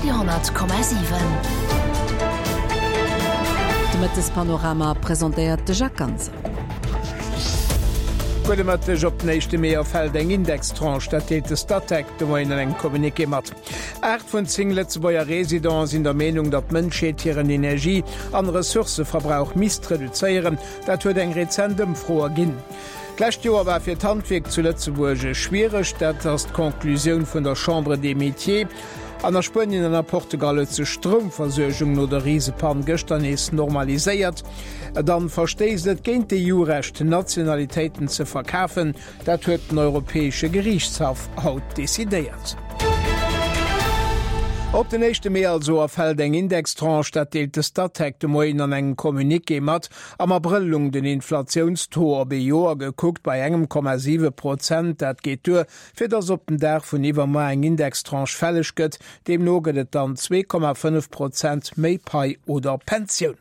Radio 10,7. De Mëttespanorama presentéiert de Jacques Ganser. Gudde Mëtteg, Op den éischte Mee erfält eng Indextranche, dat deelt de Statec de Moien an engem Communiqué mat. 8 vun 10 Lëtzebuerger Residenten sinn der Meenung, datt d'Mënschheet hiren Energie an Ressourcëverbrauch misst reduzéieren. Dat huet eng rezent Ëmfro erginn. D'lescht Joer war fir d'Handwierk zu Lëtzebuerg schwiereg, dat ass d'Conclusioun vun der Chambre des Métiers. An a Spuenien an a Portugal huet sech d'Stroumversuergung no der Risepann gëschter nees normaliséiert. Dann verstéisst et géint d'EU-Recht, Nationalitéiten ze verkafen. Dat huet den Europäesche Geriichtshaff haut decidéiert. Op den éischte Mee also erfält eng Indextranche, dat deelt de Statec de Moien an engem Communiqué mat. Am Abrëll lung den Inflatiounstaux op ee Joer gekuckt bei engem Komma 7 Prozent. Dat geet duer, fir datt op den Dag vun iwwermuer eng Indextranche fälleg gëtt. Deemno gëtt et dann 2,5 Prozent méi Pai oder Pensioun.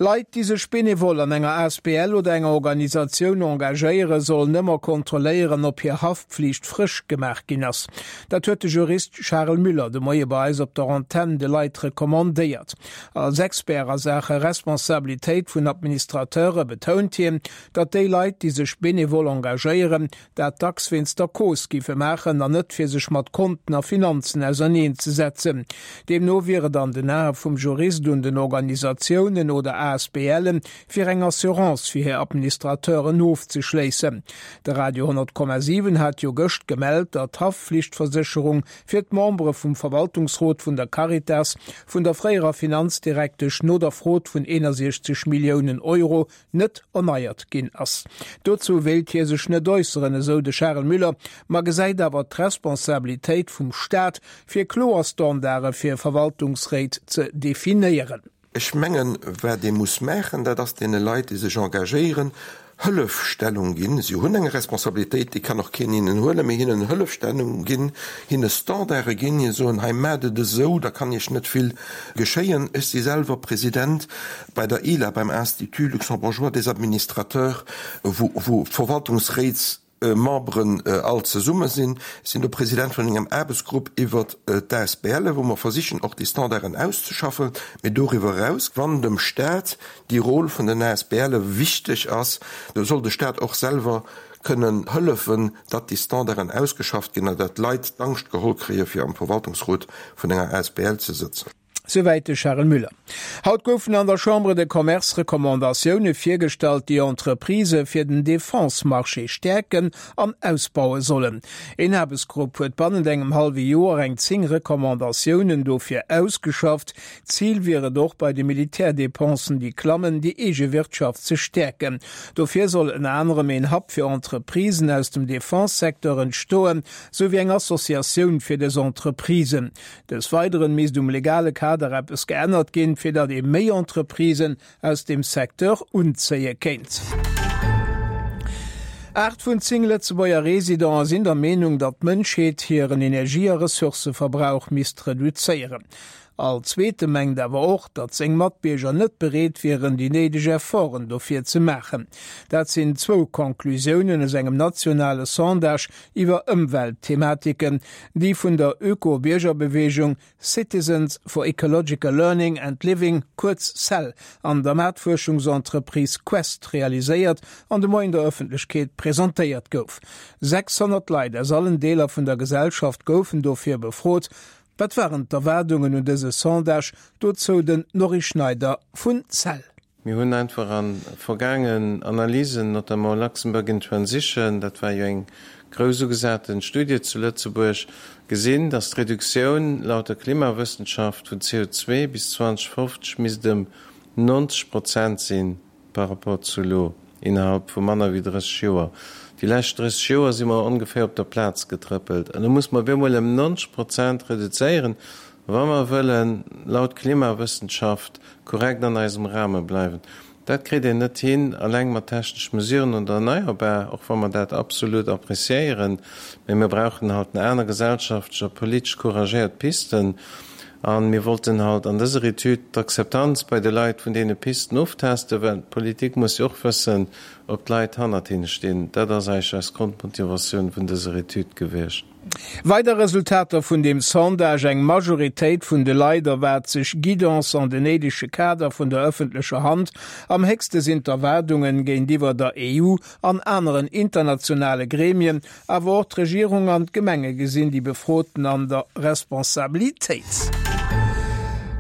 Leit, déi sech benevol an enger asbl oder enger Organisatioun engagéieren, sollen ëmmer kontrolléieren, ob hir Haftpflicht frësch gemaach ginn ass. Dat huet de Jurist Charel Müller de Moie bei eis op der Antenn de Leit recommandéiert. Als Expert a Saache Responsabilitéit vun Administrateure betount hien, datt déi Leit, déi sech benevol engagéieren, dat dacks wéinst der Cause giffe maachen an net fir sech mat Konten a Finanzen auserneen ze setzen. Deemno wier et an den Ae vum Jurist un den Organisatiounen oder ASBLen, fir eng Assurance fir hir Administrateuren ofzeschléissen. De Radio 10,7 hat jo gëscht gemellt, datt d'Haftflichtversécherung fir d'Membere vum Verwaltungsrot vun der Caritas vun der fréierer Finanzdirektesch no der Frod vun 61 Milliounen Euro net erneiert ginn ass. Dozou wéilt hie sech net äusseren, esou de Charel Müller, ma gesäit awer d'Responsabilitéit vum Staat, fir kloer Standarde fir Verwaltungsréit ze definéieren. Ech mengen, wat ee muss maachen, dat ass deene Leit, déi sech engagéieren, Hëllefstellung ginn. Si hunn eng Responsabilitéit, déi kann och keen hinnen huelen, mee hinnen Hëllefstellung ginn, hinne Standarde ginn, hinne soen, hei maacht et esou, da kann Iech net vill geschéien. Ech si selwer President bei der ILA, beim Institut luxembourgeois des administrateurs, wou d'Verwaltungsréitsmemberen all zesumme sinn. Ech sinn do President vun engem Aarbechtsgrupp iwwert d'ASBLe, wou mer versichen och déi Standarden auszeschaffen. Mee doriwwer eraus, wann dem Stat déi Rôle vun den ASBLe wichteg ass, da soll de Stat och selwer kënnen hëllefen, datt déi Standarden ausgeschafft ginn a datt d'Leit d'Angscht geholl kréie fir am Verwaltungsrot vun enger asbl ze sëtzen. Souwäit de Charel Müller. Haut goufen an der Chambre de Commerce Recommandatioune virgestallt, déi Entreprisë fir den Defense-Marché stäerken an ausbaue sollen. Een Aarbechtsgrupp huet bannent engem hallwe Joer eng 10 Recommandatiounen dofir ausgeschafft. Zil wier et och, bei de Militärdepensen, déi klammen, déi eege Wirtschaft ze stäerken. Dofir soll ënner anerem een Hub fir Entreprisen aus dem Defense-Secteur entstoen, sou wéi eng Associatioun fir dës Entreprisen. Des Weideren misst um legale Kader eppes geännert ginn, fir datt ee méi Entreprisen aus deem Secteur unzéie kéint. 8 vun 10 Lëtzebuerger Residenten sinn der Meenung, datt d'Mënschheet hiren Energie a Ressourcëverbrauch misst reduzéieren. All Zweete mengt awer och, datt seng Matbierger net bereet wieren, déi néideg Efforten dofir ze maachen. Dat sinn zwou Conclusiounen aus engem nationale Sondage iwwer Ëmweltthematiken, déi vun der Öko-Biergerbeweegung Citizens for Ecological Learning and Living, kuerz cell, an der Maartfuerschungsentreprise Quest realiséiert an de Moien der Ëffentlechkeet presentéiert gouf. 600 Leit aus allen Deeler vun der Gesellschaft goufen dofir befrot. Wat waren d'Erwaardungen un dëse Sondage? Dozou den Norry Schneider vun cell. Mir hunn einfach a vergaangen Analysen, notamment Luxembourg in Transition, dat war jo eng grouss ugesaten Studie zu Lëtzebuerg, gesinn, dass d'Reduktioun laut der Klimawëssenschaft vun CO2 bis 2050 misst ëm 90 Prozent sinn par rapport zu elo, innerhalb vu manner wéi 30 Joer. Déi lescht 30 Joer si mer ongeféier op der Plaz getrëppelt. An elo muss mer op eemol ëm 90 Prozent reduzéieren. Wa mer wëllen, laut Klimawëssenschaft, korrekt an eisem Rahme bleiwen. Dat kritt een net hin alleng mat technesch Mesuren oder erneierbar, och wa mer dat absolut appréciéieren, mä mir brauchen halt en aner gesellschaftlech a politesch couragéiert Pisten. A mir wollten halt an dëser Etüd d'Akzeptanz bei de Leit vun deene Pisten oftesten, well d'Politik muss jo och wëssen, ob d'Leit hannert hinne stinn. Dat ass eigentlech eis Grondmotivatioun vun dëser Etüd gewiescht. Weider Resultater vun deem Sondage, Eng Majoritéit vun de Leit erwaart sech Guidance an den néidege Kader vun der ëffentlecher Hand. Am héchste sinn d'Erwaardungen géintiwwer der EU an aneren internationale Gremien. Awer och d'Regierung an d'Gemenge gesinn déi Befroten an der Responsabilitéit.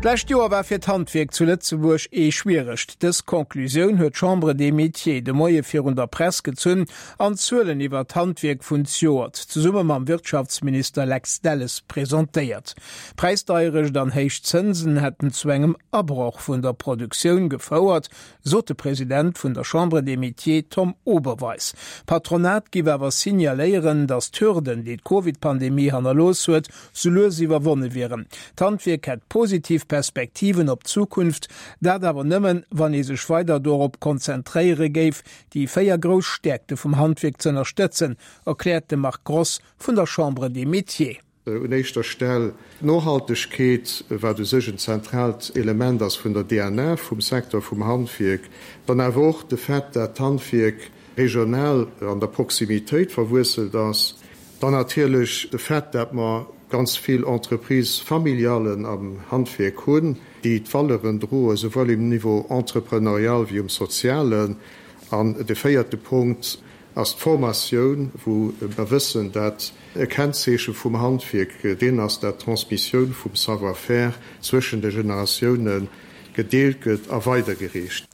D'lescht Joer war fir d'Handwierk zu Lëtzebuerg ee schwieregt. Dës Conclusioun huet d'Chambre des Métiers de Moie virun der Press gezunn an d'Zuelen iwwer d'Handwierk vun zejoert zesumme mam Wirtschaftsminister Lex Delles presentéiert. Präisdeierecht an héich Zënsen hätten zu engem Abroch vun der Produktioun gefouert, sot de President vun der Chambre des Métiers Tom Oberweis. D'Patronat giff awer signaléieren, datt d'Hürden, déi d'Covid-Pandemie hannerlooss huet, sou lues iwwerwonne wieren. D'Handwierk hätt positiv Perspektiven op d'Zukunft, dat awer nëmmen, wann ee sech weider dorop konzentréiere géif, déi 4 grouss Stäerkte vum Handwierk z'ënnerstëtzen, erkläert de Marc Gross vun der Chambre des Métiers. Un éischter Stell d'Nohaltegkeet, wat u sech en zentraalt Element ass vun der DNA vum Secteur vum Handwierk. Dann awer och de Fait, dat d'Handwierk regional an der Proximitéit verwuesselt ass. Dann natierlech de Fait, dat mer ganz vill Entreprises familialen am Handwierk hunn, déi d'Valeuren droen, souwuel um Niveau entrepreneurial wéi um sozialen. An de véierte Punkt ass d'Formatioun, wou mer wëssen, dat e Kennzeeche vum Handwierk deen ass, dat d'Transmissioun vum Savoir-faire zwëschen de Generatioune gedeelt gëtt a weidergereecht.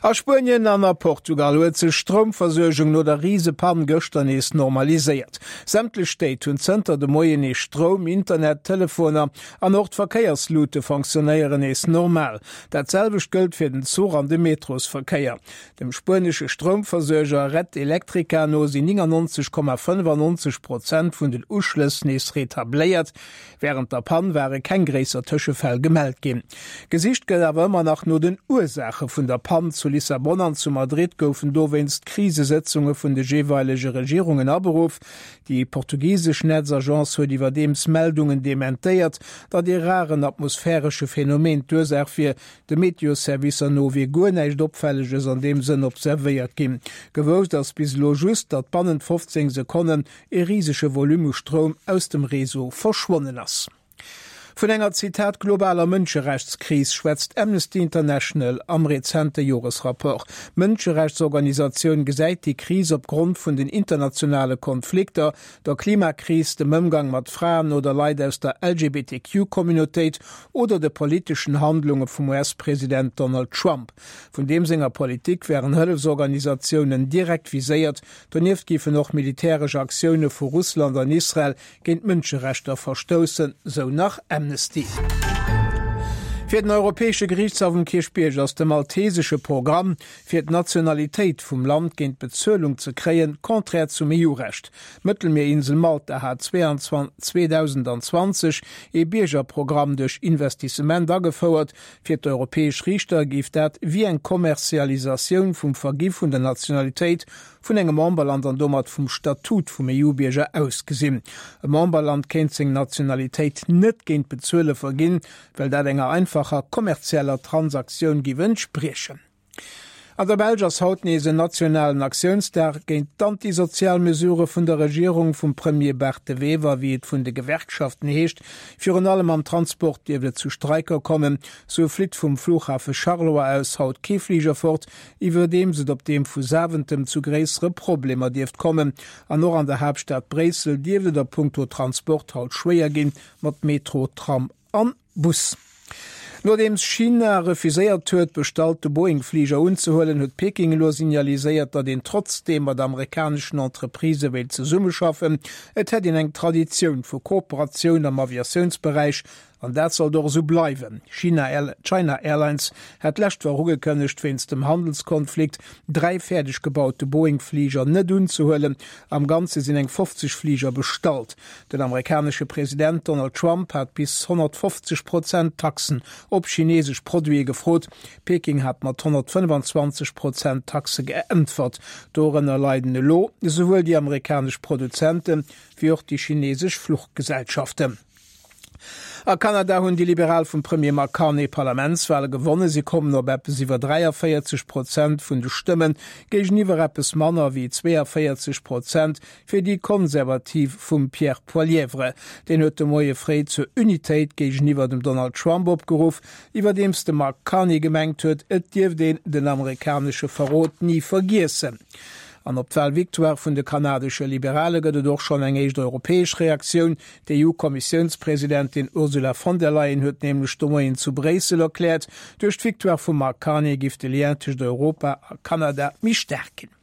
A Spuenien an a Portugal huet sech d'Stroumversuergung no der Risepann gëschter nees normaliséiert. Sämtlech Stéit hunn zënter de Moien nees Stroum, Internet, Telefoner an och d'Verkéierslute fonctionnéieren nees normal. Dat selwecht gëllt fir den Zuch an de Metrosverkéier. Dem spuenesche Stroumversuerger Red Eléctrica no sinn 99,95 Prozent vun den Uschlëss nees retabléiert. Wärend der Pann ware keng gréisser Tëschefäll gemellt ginn. Gesicht gëtt awer ëmmer nach no den Ursaache vun der Pann. Zu Lissabon an zu Madrid goufen dowéinst Krisesëtzunge vun de jeeweilege Regierungen aberuff. Déi portugisesch Netzagence huet iwwerdeems Meldungen dementéiert, datt ee raren atmosphäresche Phenomen d'Ursaach wier. De Meteosservicer no wier guer näischt Opfälleges an deem Sënn observéiert ginn. Gewousst ass bis elo just, datt bannent 15 Sekonnen ee risege Volume u Stroum aus dem Réseau verschwonnen ass. Vun enger, Zitat, globaler Mënscherechtskris schwätzt Amnesty International am rezente Joresrapport. D'Mënscherechtsorganisatioun gesäit déi Kris opgrond vun den internationale Konflikter, der Klimakris, dem Ëmgang mat Fraen oder Leit aus der LGBTQ-Communautéit oder de politeschen Handlunge vum US-President Donald Trump. Vun deem senger Politik wären Hëllefsorganisatiounen direkt viséiert. Donieft géifen och militäresch Aktioune vu Russland an Israel géint d'Mënscherechter verstoussen, sou nach Amnesty. Fir den Europäesche Geriichtshaff um Kierchbierg ass de maltesesche Programm, fir d'Nationalitéit vum Land géint Bezuelung ze kréien, contraire zum EU-Recht. D'Mëttelmierinsel Malta hat 2020 ee Biergerprogramm duerch Investissement agefouert. Fir d'europäesch Riichter géif dat wéi eng Kommerzialisatioun vum Vergi vun der Nationalitéit vun engem Memberland an domat vum Statut vum EU-Bierger ausgesinn. E Memberland kéint seng Nationalitéit net géint Bezuele verginn, well dat enger einfacher kommerzieller Transaktioun giff entspriechen. An der Belsch ass haut nees en nationalen Aktiounsdag géint d'antisozial Mesurë vun der Regierung vum Premier Bart De Wever, wéi et vun de Gewerkschaften heescht. Virun allem am Transport dierft et zu Streiker kommen. Sou flitt vum Flughafe Charleroi aus haut kee Fliger fort, iwwerdeems et op deem vu Zaventem zu gréissere Problemer dierft kommen. An och an der Haaptstad Bréissel dierft et a punkto Transport haut schwéier ginn, mat Metro, Tram an Bus. Nodeems China refuséiert huet, bestallte Boeing-Fliger unzehuelen, huet Peking elo signaliséiert, datt een trotzdeem mat amerikaneschen Entreprisë wéilt zesummeschaffen. Et hätt een eng Traditioun vu Kooperatioun am Aviatiounsberäich An dat sollt och esou bleiwen. China China Airlines hat d'lescht Woch ugekënnegt, wéinst dem Handelskonflikt 3 fäerdeg gebaute Boeing-Fliger net unzehuelen. Am Ganze sinn eng 50 Fliger bestallt. Den amerikanesche President Donald Trump hat bis 150 Prozent Taxen op chinesesch Produite gefrot. Peking hat mat 125 Prozent Taxe geäntwert. Dorënner leiden elo esouwuel déi amerikanesch Produzente wéi och déi chinesesch Fluchgesellschaften. A Kanada hunn déi Liberal vum Premier Mark Carney d'Parlamentswale gewonnen. Si kommen op eppes iwwer 43 Prozent vun de Stëmmen, géigeniwwer eppes manner wéi 42 Prozent fir déi Konservativ vum Pierre Poilievre. Deen huet de Moie fréi zur Unitéit géigeniwwer dem Donald Trump opgeruff, iwwerdeems de Mark Carney gemengt huet, et dierft een den amerikanesche Verrot ni vergiessen. An op d'Walvictoire vun de kanadesche Liberale gëtt et och schonn eng éischt europäesch Reaktioun. D'EU-Kommissiounspresidentin Ursula von der Leyen huet nämlech de Moien zu Bréissel erkläert, duerch d'Victoire vum Mark Carney giff de Lien tëscht Europa a Kanada méi staark ginn.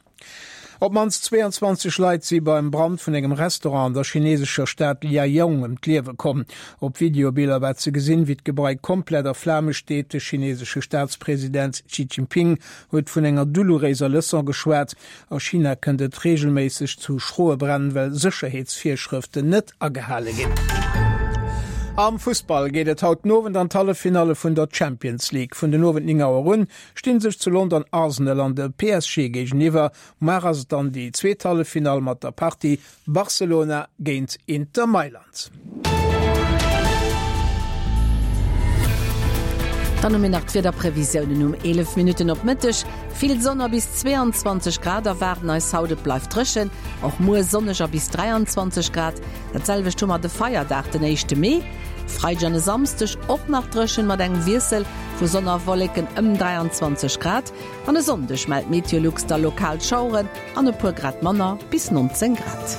Op d'mannst 22 Leit si beim Brand vun engem Restaurant an der chinesescher Stad Liaoyang ëm d'Liewe komm. Op Videobiller war ze gesinn, wéi d'Gebai komplett a Flame steet. De chinesesche Staatspresident Xi Jinping huet vun enger doulouréiser Leçon geschwat. A China kënnt et reegelméisseg zu schroe Bränn, well Sécherheetsvirschrëften net agehale ginn. Am Fussball geet et haut den Owend an d'Halleffinalle vun der Champions League. Vun den Owend 9 Auer un stinn sech zu London Arsenal an de PSG géigeniwwer. Muar ass et dann déi zweet Halleffinall mat der Partie Barcelona géint Inter Mailand. Dann hu mir nach d'Wiederprevisiounen um 11 Minutten op Mëtteg. Vill Sonn a bis 22 Grad erwaarden eis haut. Et bleift dréchen, och muer sonneg a bis 23 Grad. Dat selwecht hu mer de Feierdag, den éischte Mee. E Freideg an e Samsdeg och nach dréchen, mat engem Wiessel vu Sonn a Wolleken ëm 23 Grad. An e Sonndeg mellt Meteolux da lokal Schaueren an e puer Grad manner, bis 19 Grad.